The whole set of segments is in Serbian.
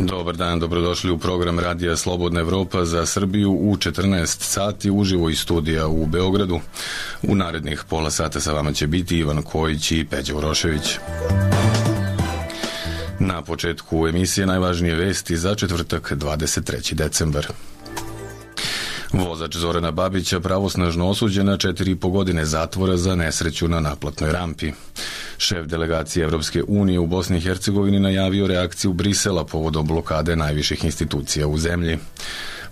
Dobar dan, dobrodošli u program Radija Slobodna Evropa za Srbiju u 14 sati uživo iz studija u Beogradu. U narednih pola sata sa vama će biti Ivan Kojić i Peđa Urošević. Na početku emisije najvažnije vesti za četvrtak 23. decembar. Vozač Zorana Babića pravosnažno osuđen na 4,5 godine zatvora za nesreću na naplatnoj rampi. Šef delegacije Evropske unije u Bosni i Hercegovini najavio reakciju Brisela povodom blokade najviših institucija u zemlji.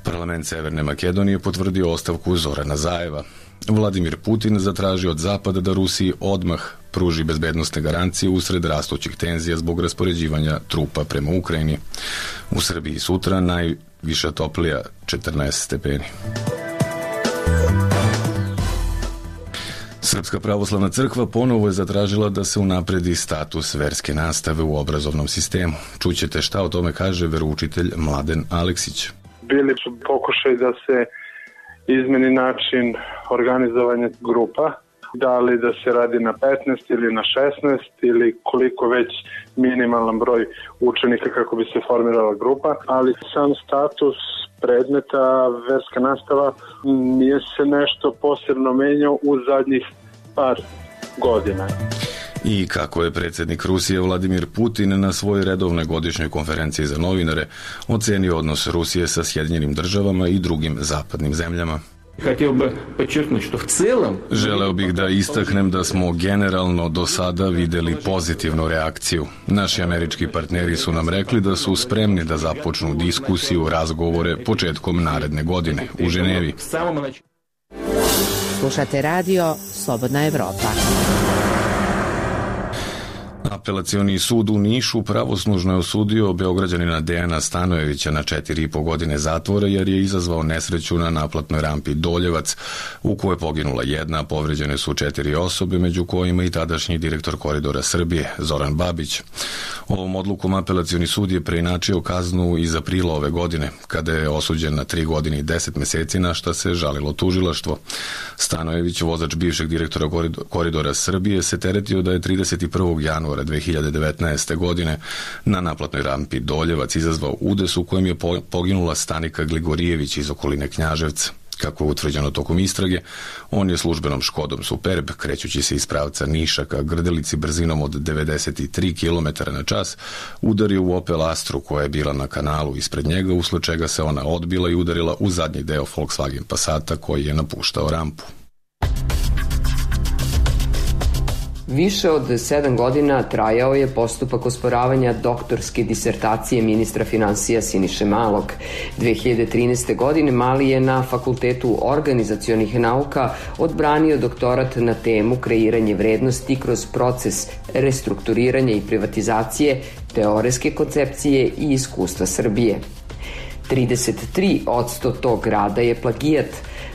Parlament Severne Makedonije potvrdio ostavku Zorana Zajeva. Vladimir Putin zatražio od Zapada da Rusiji odmah pruži bezbednosne garancije usred rastućih tenzija zbog raspoređivanja trupa prema Ukrajini. U Srbiji sutra najviša toplija 14 stepeni. Srpska pravoslavna crkva ponovo je zatražila da se unapredi status verske nastave u obrazovnom sistemu. Čućete šta o tome kaže veroučitelj Mladen Aleksić. Bili su pokušaj da se izmeni način organizovanja grupa, da li da se radi na 15 ili na 16 ili koliko već minimalan broj učenika kako bi se formirala grupa, ali sam status predmeta verska nastava nije se nešto posebno menjao u zadnjih par godina. I kako je predsjednik Rusije Vladimir Putin na svojoj redovnoj godišnjoj konferenciji za novinare ocenio odnos Rusije sa Sjedinjenim državama i drugim zapadnim zemljama. Želeo bih da istaknem da smo generalno do sada videli pozitivnu reakciju. Naši američki partneri su nam rekli da su spremni da započnu diskusiju, razgovore početkom naredne godine u Ženevi. Slušate radio Slobodna Evropa. Apelacioni sud u Nišu pravosnažno je osudio Beograđanina Dejana Stanojevića na 4,5 godine zatvora jer je izazvao nesreću na naplatnoj rampi Doljevac u kojoj je poginula jedna, povređene su 4 osobe, među kojima i tadašnji direktor Koridora Srbije Zoran Babić. Ovom odlukom apelacioni sud je preinačio kaznu iz aprila ove godine, kada je osuđen na 3 godine i 10 meseci, na šta se žalilo tužilaštvo. Stanojević, vozač bivšeg direktora Koridora Srbije, se teretio da je 31. januara 2019. godine na naplatnoj rampi Doljevac izazvao udes u kojem je poginula Stanika Gligorijević iz okoline Knjaževca. Kako je utvrđeno tokom istrage, on je službenom Škodom Superb, krećući se iz pravca Niša ka Grdelici brzinom od 93 km na čas, udario u Opel Astru koja je bila na kanalu ispred njega, usled čega se ona odbila i udarila u zadnji deo Volkswagen Passata koji je napuštao rampu. Više od 7 godina trajao je postupak osporavanja doktorske disertacije ministra finansija Siniše Malog. 2013. godine Mali je na Fakultetu organizacionih nauka odbranio doktorat na temu kreiranje vrednosti kroz proces restrukturiranja i privatizacije, teoretske koncepcije i iskustva Srbije. 33% tog rada je plagijat.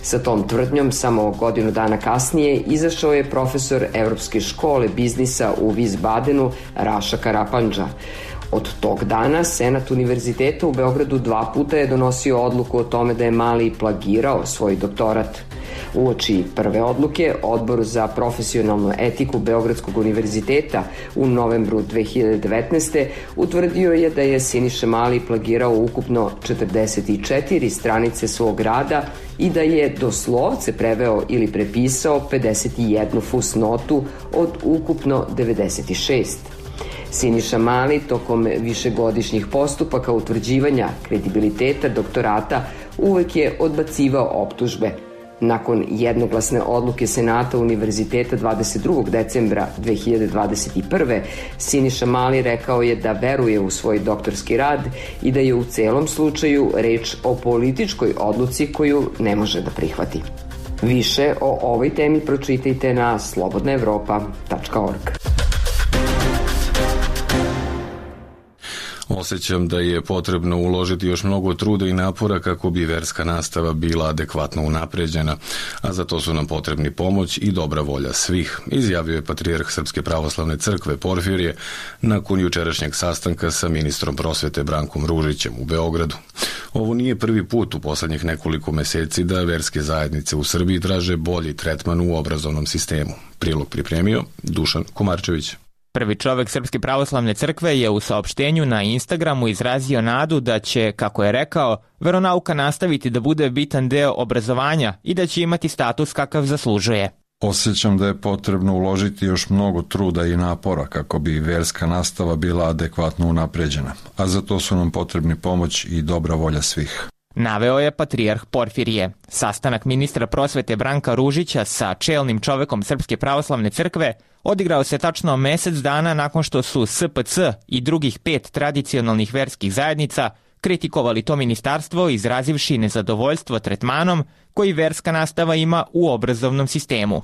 Sa tom tvrdnjom samo godinu dana kasnije izašao je profesor Evropske škole biznisa u Wiesbadenu Raša Karapandža. Od tog dana Senat Univerziteta u Beogradu 2 puta je donosio odluku o tome da je Mali plagirao svoj doktorat. Uoči prve odluke, Odbor za profesionalnu etiku Beogradskog univerziteta u novembru 2019. utvrdio je da je Siniša Mali plagirao ukupno 44 stranice svog rada i da je doslovce preveo ili prepisao 51 fusnotu od ukupno 96. Siniša Mali tokom višegodišnjih postupaka utvrđivanja kredibiliteta doktorata uvek je odbacivao optužbe. Nakon jednoglasne odluke Senata Univerziteta 22. decembra 2021. Siniša Mali rekao je da veruje u svoj doktorski rad i da je u celom slučaju reč o političkoj odluci koju ne može da prihvati. Više o ovoj temi pročitajte na slobodnaevropa.org. Osjećam da je potrebno uložiti još mnogo truda i napora kako bi verska nastava bila adekvatno unapređena, a za to su nam potrebni pomoć i dobra volja svih, izjavio je patrijarh Srpske pravoslavne crkve Porfirije nakon jučerašnjeg sastanka sa ministrom prosvete Brankom Ružićem u Beogradu. Ovo nije prvi put u poslednjih nekoliko meseci da verske zajednice u Srbiji traže bolji tretman u obrazovnom sistemu. Prilog pripremio Dušan Komarčević. Prvi čovek Srpske pravoslavne crkve je u saopštenju na Instagramu izrazio nadu da će, kako je rekao, veronauka nastaviti da bude bitan deo obrazovanja i da će imati status kakav zaslužuje. Osjećam da je potrebno uložiti još mnogo truda i napora kako bi verska nastava bila adekvatno unapređena, a za to su nam potrebni pomoć i dobra volja svih. Naveo je patrijarh Porfirije. Sastanak ministra prosvete Branka Ružića sa čelnim čovekom Srpske pravoslavne crkve odigrao se tačno mesec dana nakon što su SPC i drugih 5 tradicionalnih verskih zajednica kritikovali to ministarstvo izrazivši nezadovoljstvo tretmanom koji verska nastava ima u obrazovnom sistemu.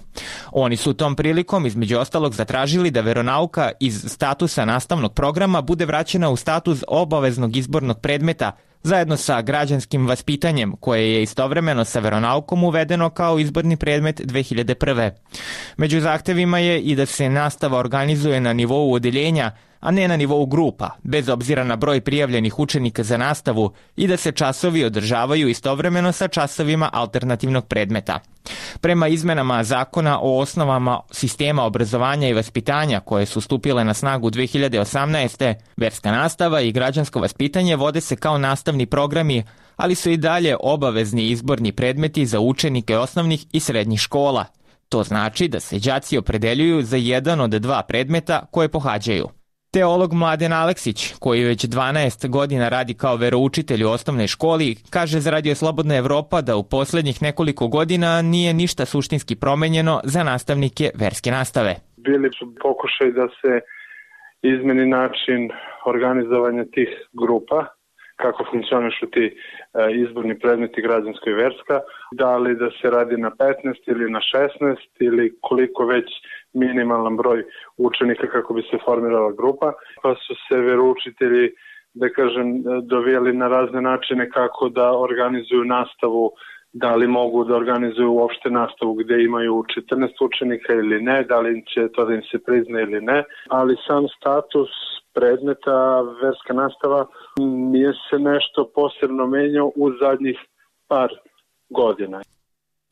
Oni su tom prilikom između ostalog zatražili da veronauka iz statusa nastavnog programa bude vraćena u status obaveznog izbornog predmeta zajedno sa građanskim vaspitanjem koje je istovremeno sa veronaukom uvedeno kao izborni predmet 2001. Među zahtevima je i da se nastava organizuje na nivou odeljenja, a ne na nivou grupa, bez obzira na broj prijavljenih učenika za nastavu i da se časovi održavaju istovremeno sa časovima alternativnog predmeta. Prema izmenama zakona o osnovama sistema obrazovanja i vaspitanja koje su stupile na snagu 2018. verska nastava i građansko vaspitanje vode se kao nastavni programi, ali su i dalje obavezni izborni predmeti za učenike osnovnih i srednjih škola. To znači da se đaci opredeljuju za jedan od 2 predmeta koje pohađaju. Teolog Mladen Aleksić, koji već 12 godina radi kao veroučitelj u osnovnoj školi, kaže za Radio Slobodna Evropa da u poslednjih nekoliko godina nije ništa suštinski promenjeno za nastavnike verske nastave. Bili su pokušaj da se izmeni način organizovanja tih grupa, kako funkcionišu ti izborni predmeti građansko i verska, da li da se radi na 15 ili na 16 ili koliko već minimalan broj učenika kako bi se formirala grupa, pa su se veroučitelji, da kažem, dovijeli na razne načine kako da organizuju nastavu, da li mogu da organizuju uopšte nastavu gde imaju 14 učenika ili ne, da li će to da im se prizna ili ne, ali sam status predmeta verska nastava nije se nešto posebno menjao u zadnjih par godina.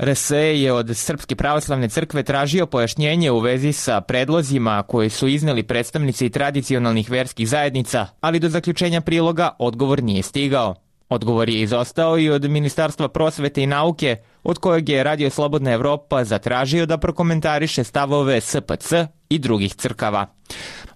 RSE je od Srpske pravoslavne crkve tražio pojašnjenje u vezi sa predlozima koji su izneli predstavnici tradicionalnih verskih zajednica, ali do zaključenja priloga odgovor nije stigao. Odgovor je izostao i od Ministarstva prosvete i nauke, od kojeg je Radio Slobodna Evropa zatražio da prokomentariše stavove SPC i drugih crkava.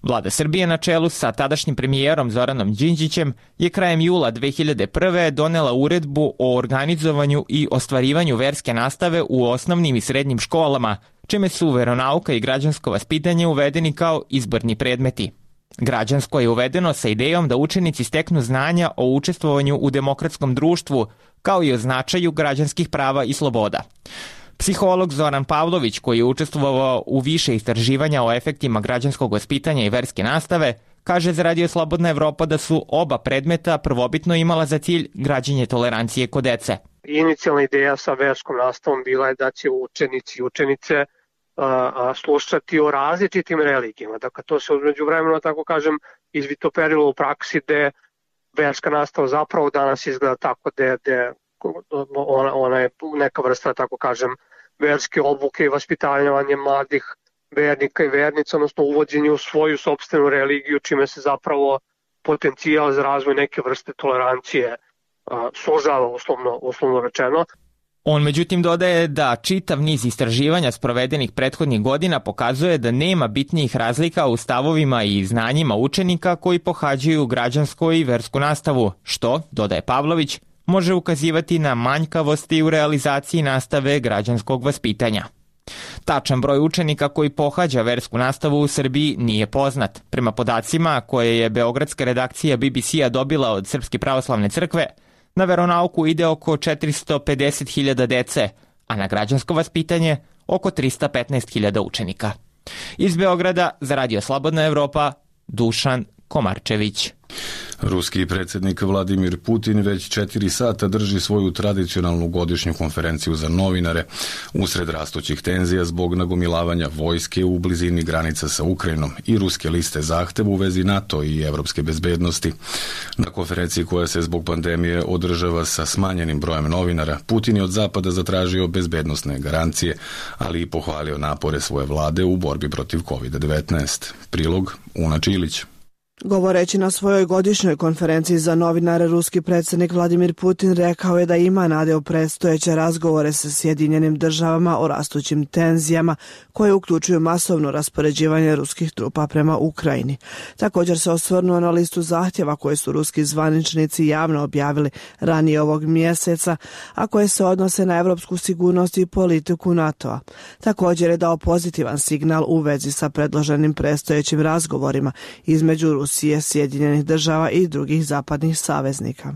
Vlada Srbije na čelu sa tadašnjim premijerom Zoranom Đinđićem je krajem jula 2001. donela uredbu o organizovanju i ostvarivanju verske nastave u osnovnim i srednjim školama, čime su veronauka i građansko vaspitanje uvedeni kao izborni predmeti. Građansko je uvedeno sa idejom da učenici steknu znanja o učestvovanju u demokratskom društvu, kao i o značaju građanskih prava i sloboda. Psiholog Zoran Pavlović, koji je učestvovao u više istraživanja o efektima građanskog vaspitanja i verske nastave, kaže za Radio Slobodna Evropa da su oba predmeta prvobitno imala za cilj građenje tolerancije kod dece. Inicijalna ideja sa verskom nastavom bila je da će učenici i učenice slušati o različitim religijama. Dakle, to se umeđu vremena, tako kažem, izvitoperilo u praksi gde verska nastava zapravo danas izgleda tako gde ona je neka vrsta, tako kažem, verske obuke i vaspitavanje mladih vernika i vernica, odnosno uvođenje u svoju sopstvenu religiju, čime se zapravo potencijal za razvoj neke vrste tolerancije sužava, uslovno rečeno. On međutim dodaje da čitav niz istraživanja sprovedenih prethodnih godina pokazuje da nema bitnijih razlika u stavovima i znanjima učenika koji pohađaju građansku i versku nastavu, što, dodaje Pavlović, može ukazivati na manjkavosti u realizaciji nastave građanskog vaspitanja. Tačan broj učenika koji pohađa versku nastavu u Srbiji nije poznat. Prema podacima koje je beogradska redakcija BBC-a dobila od Srpske pravoslavne crkve, na veronauku ide oko 450.000 dece, a na građansko vaspitanje oko 315.000 učenika. Iz Beograda za Radio Slobodna Evropa, Dušan Komarčević. Ruski predsjednik Vladimir Putin već 4 sata drži svoju tradicionalnu godišnju konferenciju za novinare usred rastućih tenzija zbog nagomilavanja vojske u blizini granica sa Ukrajinom i ruske liste zahteva u vezi NATO i evropske bezbednosti. Na konferenciji koja se zbog pandemije održava sa smanjenim brojem novinara, Putin je od Zapada zatražio bezbednosne garancije, ali i pohvalio napore svoje vlade u borbi protiv COVID-19. Prilog Una Čilić. Govoreći na svojoj godišnjoj konferenciji za novinare, ruski predsjednik Vladimir Putin rekao je da ima nade u predstojeće razgovore sa Sjedinjenim državama o rastućim tenzijama koje uključuju masovno raspoređivanje ruskih trupa prema Ukrajini. Također se osvrnuo na listu zahtjeva koje su ruski zvaničnici javno objavili ranije ovog mjeseca, a koje se odnose na evropsku sigurnost i politiku NATO-a. Također je dao pozitivan signal u vezi sa predloženim predstojećim razgovorima između Rusije, Sjedinjenih država i drugih zapadnih saveznika.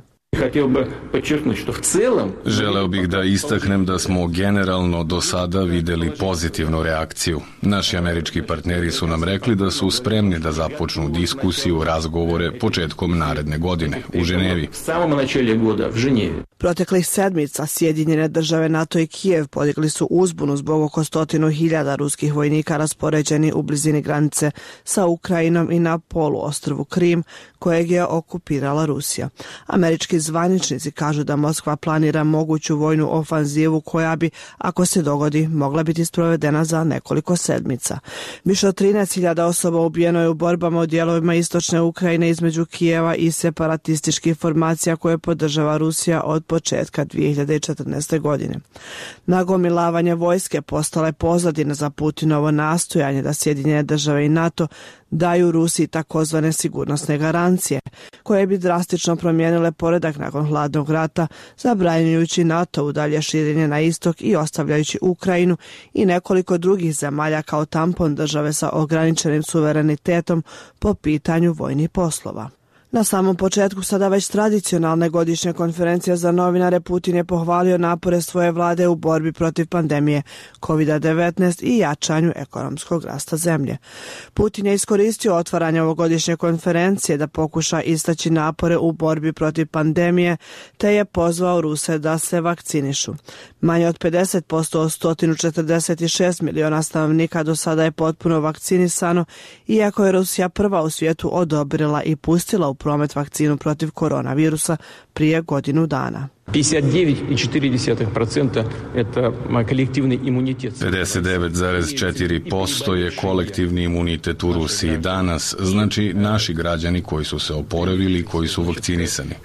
Želeo bih da istaknem da smo generalno do sada vidjeli pozitivnu reakciju. Naši američki partneri su nam rekli da su spremni da započnu diskusiju, razgovore početkom naredne godine u Ženevi. Proteklih sedmica Sjedinjene države, NATO i Kijev podigli su uzbunu zbog oko 100.000 ruskih vojnika raspoređeni u blizini granice sa Ukrajinom i na poluostrvu Krim, kojeg je okupirala Rusija. Američki zvaničnici kažu da Moskva planira moguću vojnu ofanzivu koja bi, ako se dogodi, mogla biti sprovedena za nekoliko sedmica. Više od 13.000 osoba ubijeno je u borbama u dijelovima istočne Ukrajine između Kijeva i separatističkih formacija koje podržava Rusija od početka 2014. godine. Nagomilavanje vojske postala je pozadina za Putinovo nastojanje da Sjedinjene države i NATO daju Rusiji takozvane sigurnosne garancije, koje bi drastično promijenile poredak nakon hladnog rata, zabranjujući NATO u dalje širenje na istok i ostavljajući Ukrajinu i nekoliko drugih zemalja kao tampon države sa ograničenim suverenitetom po pitanju vojnih poslova. Na samom početku sada već tradicionalne godišnje konferencije za novinare, Putin je pohvalio napore svoje vlade u borbi protiv pandemije COVID-19 i jačanju ekonomskog rasta zemlje. Putin je iskoristio otvaranje ovogodišnje konferencije da pokuša istaći napore u borbi protiv pandemije, te je pozvao Ruse da se vakcinišu. Manje od 50% od 146 miliona stanovnika do sada je potpuno vakcinisano, iako je Rusija prva u svijetu odobrila i pustila u promet vakcinu protiv koronavirusa prije godinu dana. 59,4% je kolektivni imunitet u Rusiji danas, znači naši građani koji su se oporavili i koji su vakcinisani.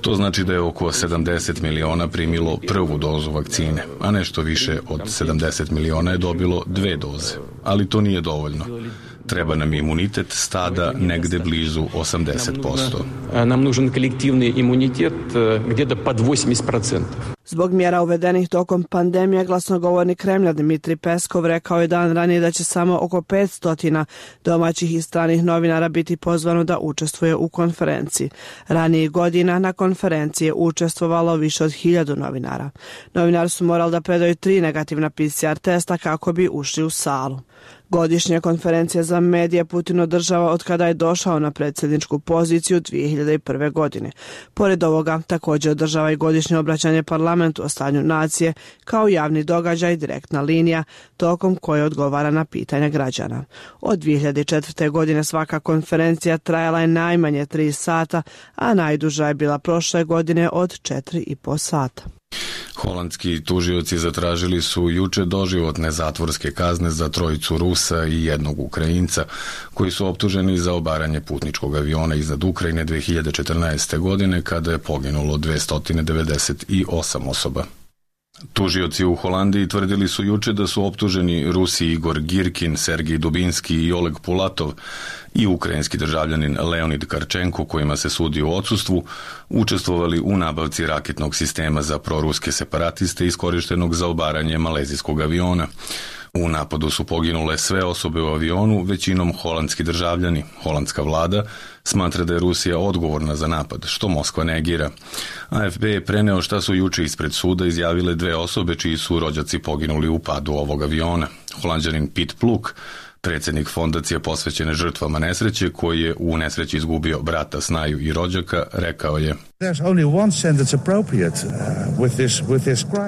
To znači da je oko 70 miliona primilo prvu dozu vakcine, a nešto više od 70 miliona je dobilo 2 doze. Ali to nije dovoljno. Treba nam imunitet stada negde blizu 80%. Nam nužan kolektivni imunitet gdje pod 80%. Zbog mjera uvedenih tokom pandemije, glasnogovornik Kremlja Dmitrij Peskov rekao je dan ranije da će samo oko 500 domaćih i stranih novinara biti pozvano da učestvuje u konferenciji. Ranijih godina na konferenciji je učestvovalo više od 1000 novinara. Novinari su morali da predaju 3 negativna PCR testa kako bi ušli u salu. Godišnja konferencija za medije Putin održava od kada je došao na predsjedničku poziciju 2001. godine. Pored ovoga, također održava i godišnje obraćanje parlamentu o stanju nacije kao javni događaj, direktna linija, tokom koje odgovara na pitanja građana. Od 2004. godine svaka konferencija trajala je najmanje 3 sata, a najduža je bila prošle godine od 4,5 sata. Holandski tužioci zatražili su juče doživotne zatvorske kazne za 3 Rusa i 1 Ukrajinca, koji su optuženi za obaranje putničkog aviona iznad Ukrajine 2014. godine, kada je poginulo 298 osoba. Tužioci u Holandiji tvrdili su juče da su optuženi Rusi Igor Girkin, Sergij Dubinski i Oleg Pulatov i ukrajinski državljanin Leonid Karčenko, kojima se sudi u odsustvu, učestvovali u nabavci raketnog sistema za proruske separatiste iskorištenog za obaranje malezijskog aviona. U napadu su poginule sve osobe u avionu, većinom holandski državljani. Holandska vlada smatra da je Rusija odgovorna za napad, što Moskva negira. AFP je preneo šta su juče ispred suda izjavile 2 osobe čiji su rođaci poginuli u padu ovog aviona. Holanđanin Piet Pluk Predsjednik fondacije posvećene žrtvama nesreće, koji je u nesreći izgubio brata, snaju i rođaka, rekao je: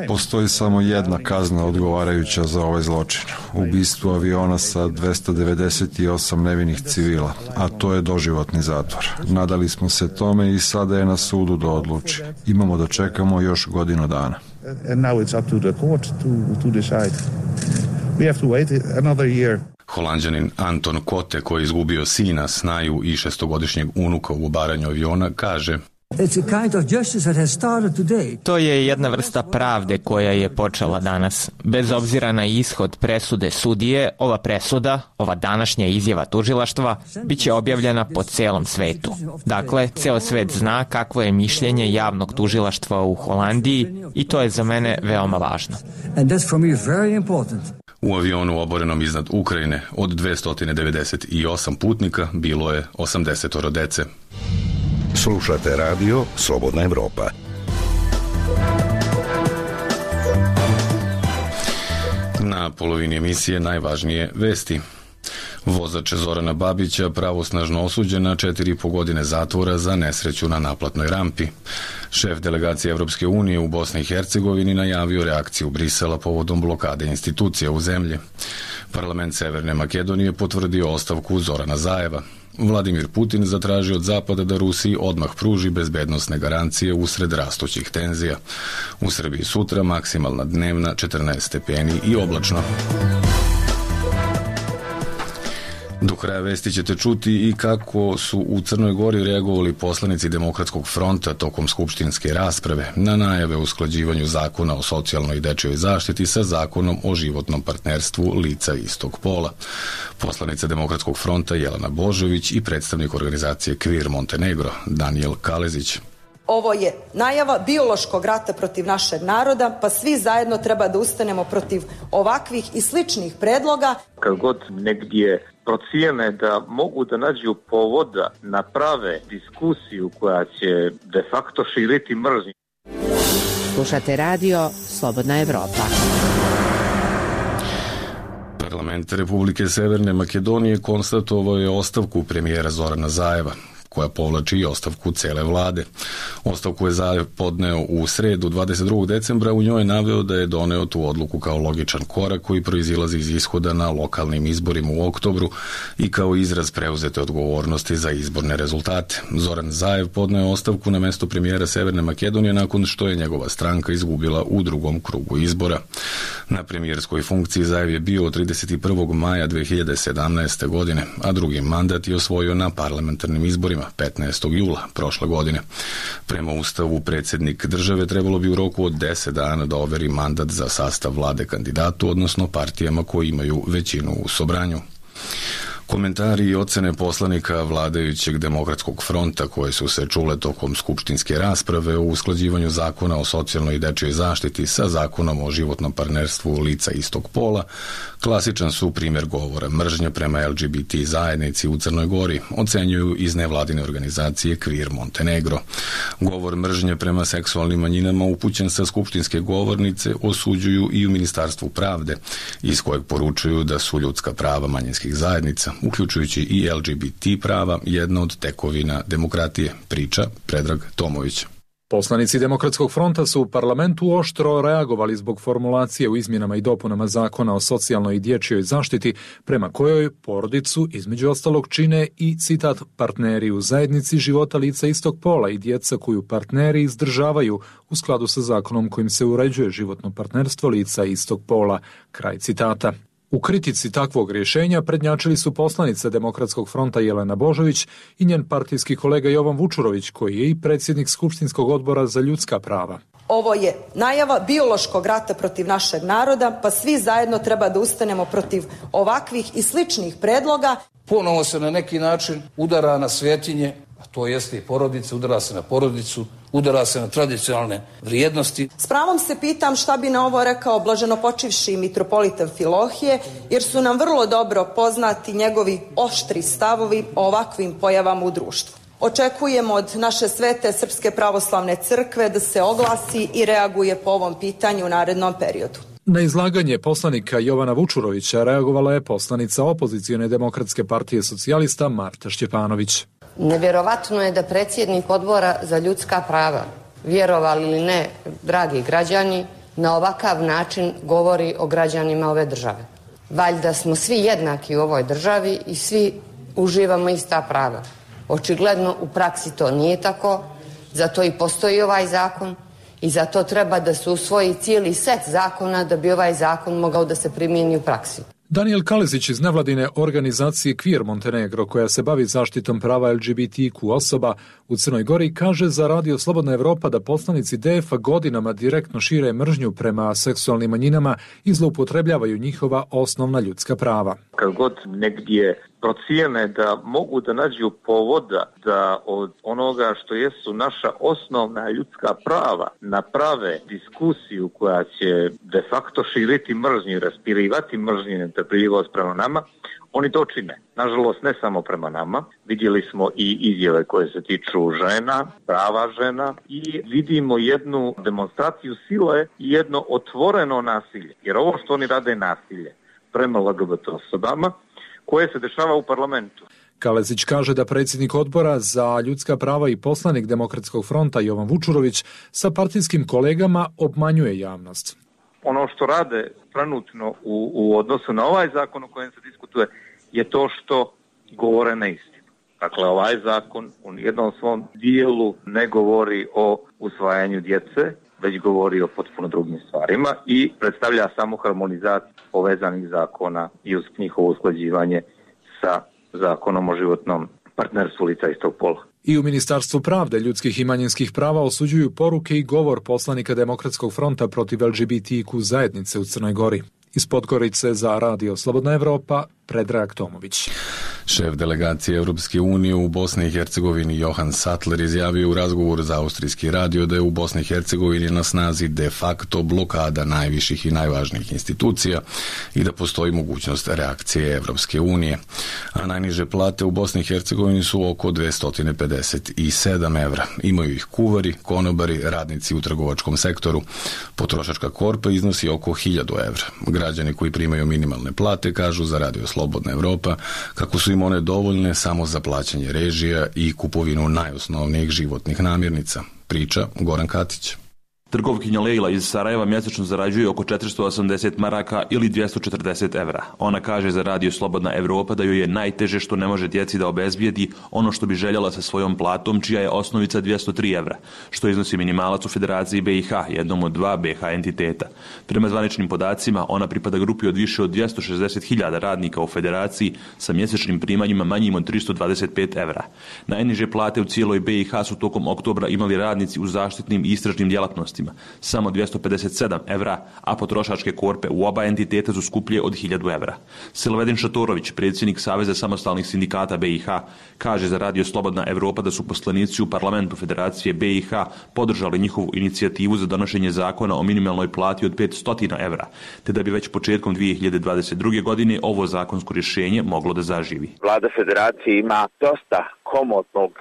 Postoji samo jedna kazna odgovarajuća za ovaj zločin. Ubistvo aviona sa 298 nevinih civila, a to je doživotni zatvor. Nadali smo se tome i sada je na sudu da odluči. Imamo da čekamo još godinu dana. Holanđanin Anton Kote, koji je izgubio sina, snaju i 6-godišnjeg unuka u obaranju aviona, kaže: To je jedna vrsta pravde koja je počela danas. Bez obzira na ishod presude sudije, ova presuda, ova današnja izjava tužilaštva, bit će objavljena po celom svetu. Dakle, ceo svet zna kakvo je mišljenje javnog tužilaštva u Holandiji i to je za mene veoma važno. U avionu oborenom iznad Ukrajine od 298 putnika bilo je 80 dece. Slušate radio Slobodna Evropa. Na polovini emisije najvažnije vesti. Vozač Zorana Babića pravosnažno osuđen na 4,5 godine zatvora za nesreću na naplatnoj rampi. Šef delegacije Evropske unije u Bosni i Hercegovini najavio reakciju Brisela povodom blokade institucija u zemlji. Parlament Severne Makedonije potvrdio ostavku Zorana Zajeva. Vladimir Putin zatražio od Zapada da Rusiji odmah pruži bezbednosne garancije usred rastućih tenzija. U Srbiji sutra maksimalna dnevna 14 stepeni i oblačno. Do kraja vesti ćete čuti i kako su u Crnoj Gori reagovali poslanici Demokratskog fronta tokom skupštinske rasprave na najave o usklađivanju zakona o socijalnoj i dečijoj zaštiti sa zakonom o životnom partnerstvu lica istog pola. Poslanica Demokratskog fronta Jelena Božović i predstavnik organizacije Queer Montenegro Daniel Kalezić. Ovo je najava biološkog rata protiv našeg naroda, pa svi zajedno treba da ustanemo protiv ovakvih i sličnih predloga. Kad god negdje procijene da mogu da nađu povoda, naprave diskusiju koja će de facto širiti mržnju. Slušate radio Slobodna Evropa. Parlament Republike Severne Makedonije konstatovao je ostavku premijera Zorana Zajeva, koja povlači i ostavku cele vlade. Ostavku je Zajev podneo u sredu 22. decembra, u njoj je naveo da je doneo tu odluku kao logičan korak koji proizilazi iz ishoda na lokalnim izborima u oktobru i kao izraz preuzete odgovornosti za izborne rezultate. Zoran Zajev podneo je ostavku na mesto premijera Severne Makedonije nakon što je njegova stranka izgubila u drugom krugu izbora. Na premijerskoj funkciji Zajev je bio od 31. maja 2017. godine, a drugi mandat je osvojio na parlamentarnim izborima 15. jula prošle godine. Prema Ustavu, predsjednik države trebalo bi u roku od 10 dana da overi mandat za sastav vlade kandidatu, odnosno partijama koji imaju većinu u sobranju. Komentari i ocene poslanika vladajućeg Demokratskog fronta koje su se čule tokom skupštinske rasprave o usklađivanju zakona o socijalnoj i dečijoj zaštiti sa zakonom o životnom partnerstvu lica istog pola klasičan su primjer govora mržnje prema LGBT zajednici u Crnoj Gori, ocenjuju iz nevladine organizacije Queer Montenegro. Govor mržnje prema seksualnim manjinama upućen sa skupštinske govornice osuđuju i u Ministarstvu pravde, iz kojeg poručuju da su ljudska prava manjinskih zajednica, uključujući i LGBT prava, jedna od tekovina demokratije, priča Predrag Tomović. Poslanici Demokratskog fronta su u parlamentu oštro reagovali zbog formulacije u izmjenama i dopunama zakona o socijalnoj i dječjoj zaštiti, prema kojoj porodicu između ostalog čine i, citat, partneri u zajednici života lica istog pola i djeca koju partneri izdržavaju u skladu sa zakonom kojim se uređuje životno partnerstvo lica istog pola, kraj citata. U kritici takvog rješenja prednjačili su poslanica Demokratskog fronta Jelena Božović i njen partijski kolega Jovan Vučurović, koji je i predsjednik Skupštinskog odbora za ljudska prava. Ovo je najava biološkog rata protiv našeg naroda, pa svi zajedno treba da ustanemo protiv ovakvih i sličnih predloga. Ponovo se na neki način udara na svetinje, a to jeste i porodica, udara se na porodicu, udara se na tradicionalne vrijednosti. S pravom se pitam šta bi na ovo rekao blaženopočivši mitropolita Amfilohije, jer su nam vrlo dobro poznati njegovi oštri stavovi o ovakvim pojavama u društvu. Očekujemo od naše svete Srpske pravoslavne crkve da se oglasi i reaguje po ovom pitanju u narednom periodu. Na izlaganje poslanika Jovana Vučurovića reagovala je poslanica opozicione Demokratske partije socijalista Marta Šćepanović. Nevjerovatno je da predsjednik Odbora za ljudska prava, vjerovali ili ne, dragi građani, na ovakav način govori o građanima ove države. Valjda smo svi jednaki u ovoj državi i svi uživamo ista prava. Očigledno u praksi to nije tako, zato i postoji ovaj zakon i zato treba da se usvoji cijeli set zakona da bi ovaj zakon mogao da se primijeni u praksi. Daniel Kalezić iz nevladine organizacije Queer Montenegro, koja se bavi zaštitom prava LGBTQ osoba u Crnoj Gori, kaže za Radio Slobodna Evropa da poslanici DF-a godinama direktno šire mržnju prema seksualnim manjinama i zloupotrebljavaju njihova osnovna ljudska prava. Kad god negdje procijene da mogu da nađu povoda da od onoga što jesu naša osnovna ljudska prava naprave diskusiju koja će de facto širiti mržnju i raspirivati mržnju i netrpeljivost prema nama, oni to čine. Nažalost, ne samo prema nama. Vidjeli smo i izjave koje se tiču žena, prava žena i vidimo jednu demonstraciju sile i jedno otvoreno nasilje. Jer ovo što oni rade je nasilje prema LGBT osobama koje se dešava u parlamentu. Kalezić kaže da predsjednik Odbora za ljudska prava i poslanik Demokratskog fronta Jovan Vučurović sa partijskim kolegama obmanjuje javnost. Ono što rade trenutno u odnosu na ovaj zakon o kojem se diskutuje je to što govore neistinu. Dakle, ovaj zakon u nijednom svom dijelu ne govori o usvajanju djece, već govori o potpuno drugim stvarima i predstavlja samo harmonizaciju povezanih zakona i uz njihovo usklađivanje sa zakonom o životnom partnerstvu lica istog pola. I u Ministarstvu pravde, ljudskih i manjinskih prava osuđuju poruke i govor poslanika Demokratskog fronta protiv LGBTQ zajednice u Crnoj Gori. Iz Podgorice za Radio Slobodna Evropa, Predrag Tomović. Šef delegacije Europske unije u Bosni i Hercegovini Johan Sattler izjavio u razgovoru za austrijski radio da je u Bosni i Hercegovini na snazi de facto blokada najviših i najvažnijih institucija i da postoji mogućnost reakcije Europske unije. A najniže plate u Bosni i Hercegovini su oko 257 evra. Imaju ih kuvari, konobari, radnici u trgovačkom sektoru. Potrošačka korpa iznosi oko 1000 evra. Građani koji primaju minimalne plate kažu za Radio Slobodna Evropa kako su im one dovoljne samo za plaćanje režija i kupovinu najosnovnijih životnih namirnica. Priča Goran Katić. Trgovkinja Lejla iz Sarajeva mjesečno zarađuje oko 480 maraka ili 240 evra. Ona kaže za Radio Slobodna Evropa da joj je najteže što ne može djeci da obezbijedi ono što bi željela sa svojom platom, čija je osnovica 203 evra, što iznosi minimalac u Federaciji BiH, jednom od 2 BiH entiteta. Prema zvaničnim podacima, ona pripada grupi od više od 260.000 radnika u Federaciji sa mjesečnim primanjima manjim od 325 evra. Najniže plate u cijeloj BiH su tokom oktobra imali radnici u zaštitnim i istražnim djelatnostima, samo 257 evra, a potrošačke korpe u oba entiteta su skuplje od 1000 evra. Silvedin Šatorović, predsjednik Saveza samostalnih sindikata BiH, kaže za Radio Slobodna Evropa da su poslanici u parlamentu Federacije BiH podržali njihovu inicijativu za donošenje zakona o minimalnoj plati od 500 evra, te da bi već početkom 2022. godine ovo zakonsko rješenje moglo da zaživi. Vlada Federacije ima dosta komotnog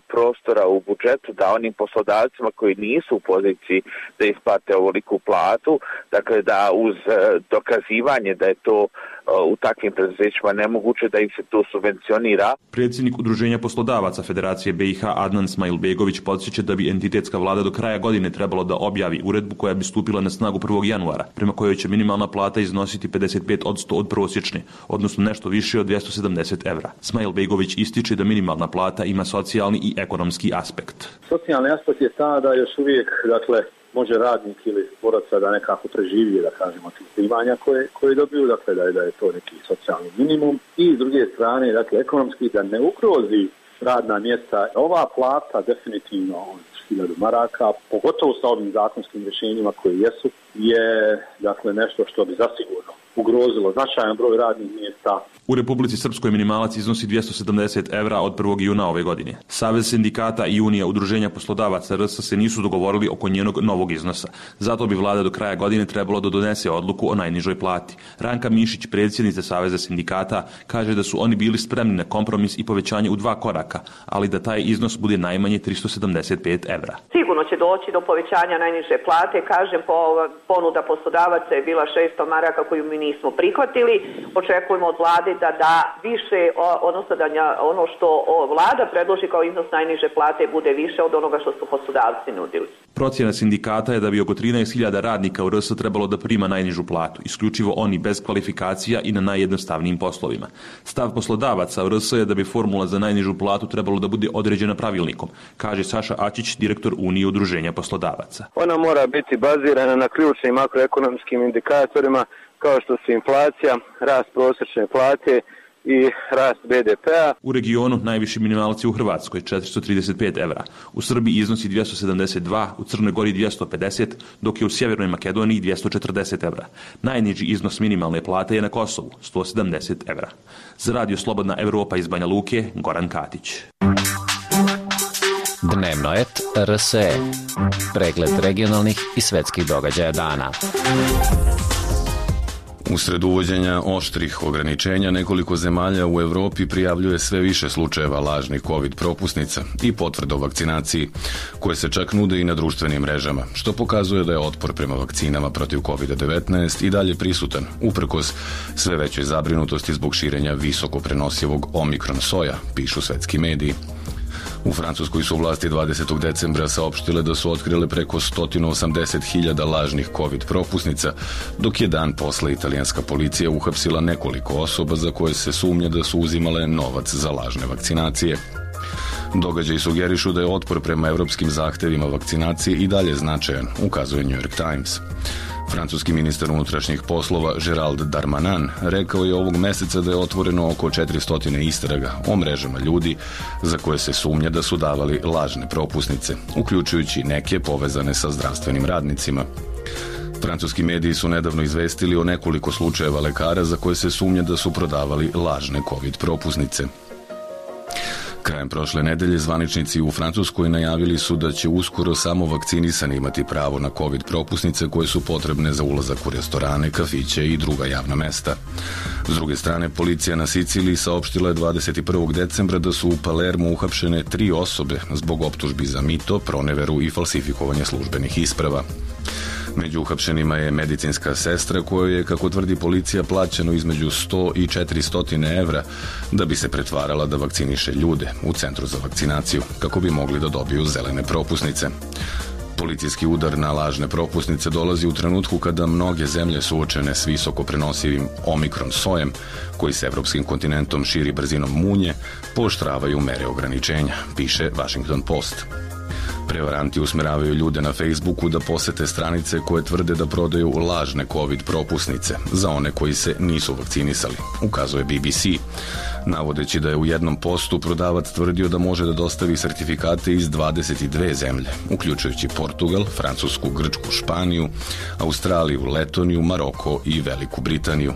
prostora u budžetu da onim poslodavcima koji nisu u poziciji da isplate ovoliku platu, dakle da uz dokazivanje da je to u takvim preduzećima nemoguće da im se to subvencionira. Predsjednik Udruženja poslodavaca Federacije BiH Adnan Smajlbegović podsjeća da bi entitetska vlada do kraja godine trebalo da objavi uredbu koja bi stupila na snagu 1. januara, prema kojoj će minimalna plata iznositi 55% od prosječne, odnosno nešto više od 270 evra. Smajlbegović ističe da minimalna plata ima socijalni i ekonomski aspekt. Socijalni aspekt je ta da još uvijek, može radnik ili boraca da nekako preživi, da kažemo, tih primanja koje dobiju, dakle da je to neki socijalni minimum. I s druge strane, ekonomski da ne ugrozi radna mjesta. Ova plata definitivno od 1000 maraka, pogotovo sa ovim zakonskim rješenjima koje jesu, je nešto što bi zasigurno ugrozilo značajan broj radnih mjesta. U Republici Srpskoj minimalac iznosi 270 evra od 1. juna ove godine. Savez sindikata i Unija udruženja poslodavaca RS se nisu dogovorili oko njenog novog iznosa. Zato bi vlada do kraja godine trebalo da donese odluku o najnižoj plati. Ranka Mišić, predsjednica Saveza sindikata, kaže da su oni bili spremni na kompromis i povećanje u 2 koraka, ali da taj iznos bude najmanje 375 evra. Sigurno će doći do povećanja najniže plate, kažem, po ponuda poslodavaca je bila 600 maraka koju mi nismo prihvatili. Očekujemo od vlade da da više, odnosno da ono što vlada predloži kao iznos najniže plate bude više od onoga što su poslodavci nudili. Procjena sindikata je da bi oko 13.000 radnika u RS trebalo da prima najnižu platu, isključivo oni bez kvalifikacija i na najjednostavnijim poslovima. Stav poslodavaca u RS je da bi formula za najnižu platu trebalo da bude određena pravilnikom, kaže Saša Ačić, direktor Unije udruženja poslodavaca. Ona mora biti bazirana na ključnim makroekonomskim indikatorima kao što su inflacija, rast prosječne plate i rast BDP-a. U regionu najviši minimalac je u Hrvatskoj 435 evra, u Srbiji iznosi 272, u Crnoj Gori 250, dok je u Sjevernoj Makedoniji 240 evra. Najniži iznos minimalne plate je na Kosovu 170 evra. Za Radio Slobodna Evropa iz Banja Luke, Goran Katić. Dnevnoet RSE. Pregled regionalnih i svetskih događaja dana. Usred uvođenja oštrih ograničenja, nekoliko zemalja u Evropi prijavljuje sve više slučajeva lažnih COVID propusnica i potvrda o vakcinaciji, koje se čak nude i na društvenim mrežama, što pokazuje da je otpor prema vakcinama protiv COVID-19 i dalje prisutan, uprkos sve većoj zabrinutosti zbog širenja visoko prenosivog omikron soja, pišu svetski mediji. U Francuskoj su vlasti 20. decembra saopštile da su otkrile preko 180.000 lažnih COVID propusnica, dok je dan posle italijanska policija uhapsila nekoliko osoba za koje se sumnja da su uzimale novac za lažne vakcinacije. Događaji sugerišu da je otpor prema evropskim zahtevima vakcinacije i dalje značajan, ukazuje New York Times. Francuski ministar unutrašnjih poslova Gérald Darmanin rekao je ovog meseca da je otvoreno oko 400 istraga o mrežama ljudi za koje se sumnja da su davali lažne propusnice, uključujući neke povezane sa zdravstvenim radnicima. Francuski mediji su nedavno izvestili o nekoliko slučajeva lekara za koje se sumnja da su prodavali lažne COVID propusnice. Krajem prošle nedelje zvaničnici u Francuskoj najavili su da će uskoro samo vakcinisani imati pravo na COVID propusnice koje su potrebne za ulazak u restorane, kafiće i druga javna mesta. S druge strane, policija na Siciliji saopštila je 21. decembra da su u Palermu uhapšene 3 osobe zbog optužbi za mito, proneveru i falsifikovanje službenih isprava. Među uhapšenima je medicinska sestra kojoj je, kako tvrdi policija, plaćeno između 100 i 400 evra da bi se pretvarala da vakciniše ljude u centru za vakcinaciju, kako bi mogli da dobiju zelene propusnice. Policijski udar na lažne propusnice dolazi u trenutku kada mnoge zemlje suočene s visoko prenosivim omikron sojem, koji se evropskim kontinentom širi brzinom munje, pooštravaju mere ograničenja, piše Washington Post. Prevaranti usmeravaju ljude na Facebooku da posete stranice koje tvrde da prodaju lažne COVID propusnice za one koji se nisu vakcinisali, ukazuje BBC, navodeći da je u jednom postu prodavac tvrdio da može da dostavi sertifikate iz 22 zemlje, uključujući Portugal, Francusku, Grčku, Španiju, Australiju, Letoniju, Maroko i Veliku Britaniju.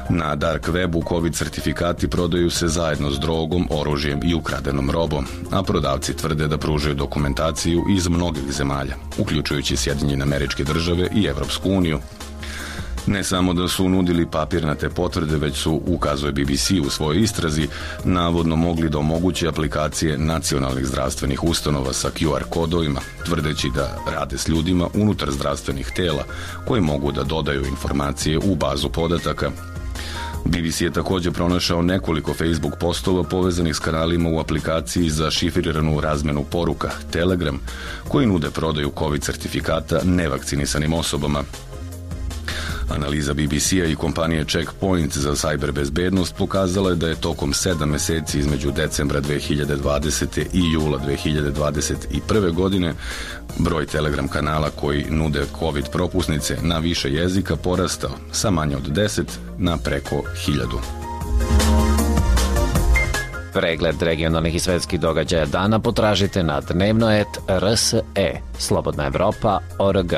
Na dark webu COVID sertifikati prodaju se zajedno s drogom, oružjem i ukradenom robom, a prodavci tvrde da pružaju dokumentaciju iz mnogih zemalja, uključujući Sjedinjene Američke Države i Evropsku uniju. Ne samo da su nudili papirnate potvrde, već su, ukazuje BBC u svojoj istrazi, navodno mogli da omoguće aplikacije nacionalnih zdravstvenih ustanova sa QR kodovima, tvrdeći da rade s ljudima unutar zdravstvenih tela koji mogu da dodaju informacije u bazu podataka. BBC je također pronašao nekoliko Facebook postova povezanih s kanalima u aplikaciji za šifriranu razmenu poruka Telegram, koji nude prodaju COVID sertifikata nevakcinisanim osobama. Analiza BBC-a i kompanije Checkpoint za cyber bezbednost pokazala je da je tokom 7 meseci između decembra 2020. i jula 2021. godine broj Telegram kanala koji nude COVID propusnice na više jezika porastao sa manje od 10 na preko 1000. Pregled regionalnih i svetskih događaja dana potražite na dnevnoet RSE, Slobodna Evropa.org.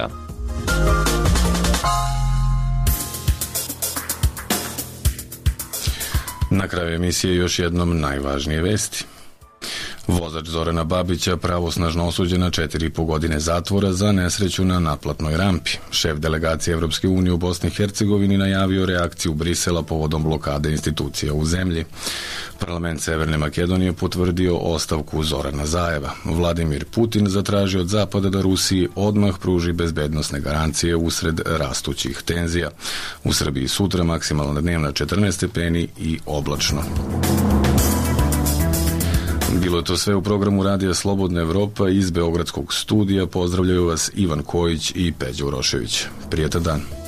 Na kraju emisije još jednom najvažnije vesti. Vozač Zorana Babića pravosnažno osuđen na 4,5 godine zatvora za nesreću na naplatnoj rampi. Šef delegacije Evropske unije u Bosni i Hercegovini najavio reakciju Brisela povodom blokade institucija u zemlji. Parlament Severne Makedonije potvrdio ostavku Zorana Zajeva. Vladimir Putin zatražio od Zapada da Rusiji odmah pruži bezbednosne garancije usred rastućih tenzija. U Srbiji sutra maksimalna dnevna 14 stepeni i oblačno. Bilo je to sve u programu Radija Slobodna Evropa iz Beogradskog studija. Pozdravljaju vas Ivan Kojić i Peđa Urošević. Prijetan dan.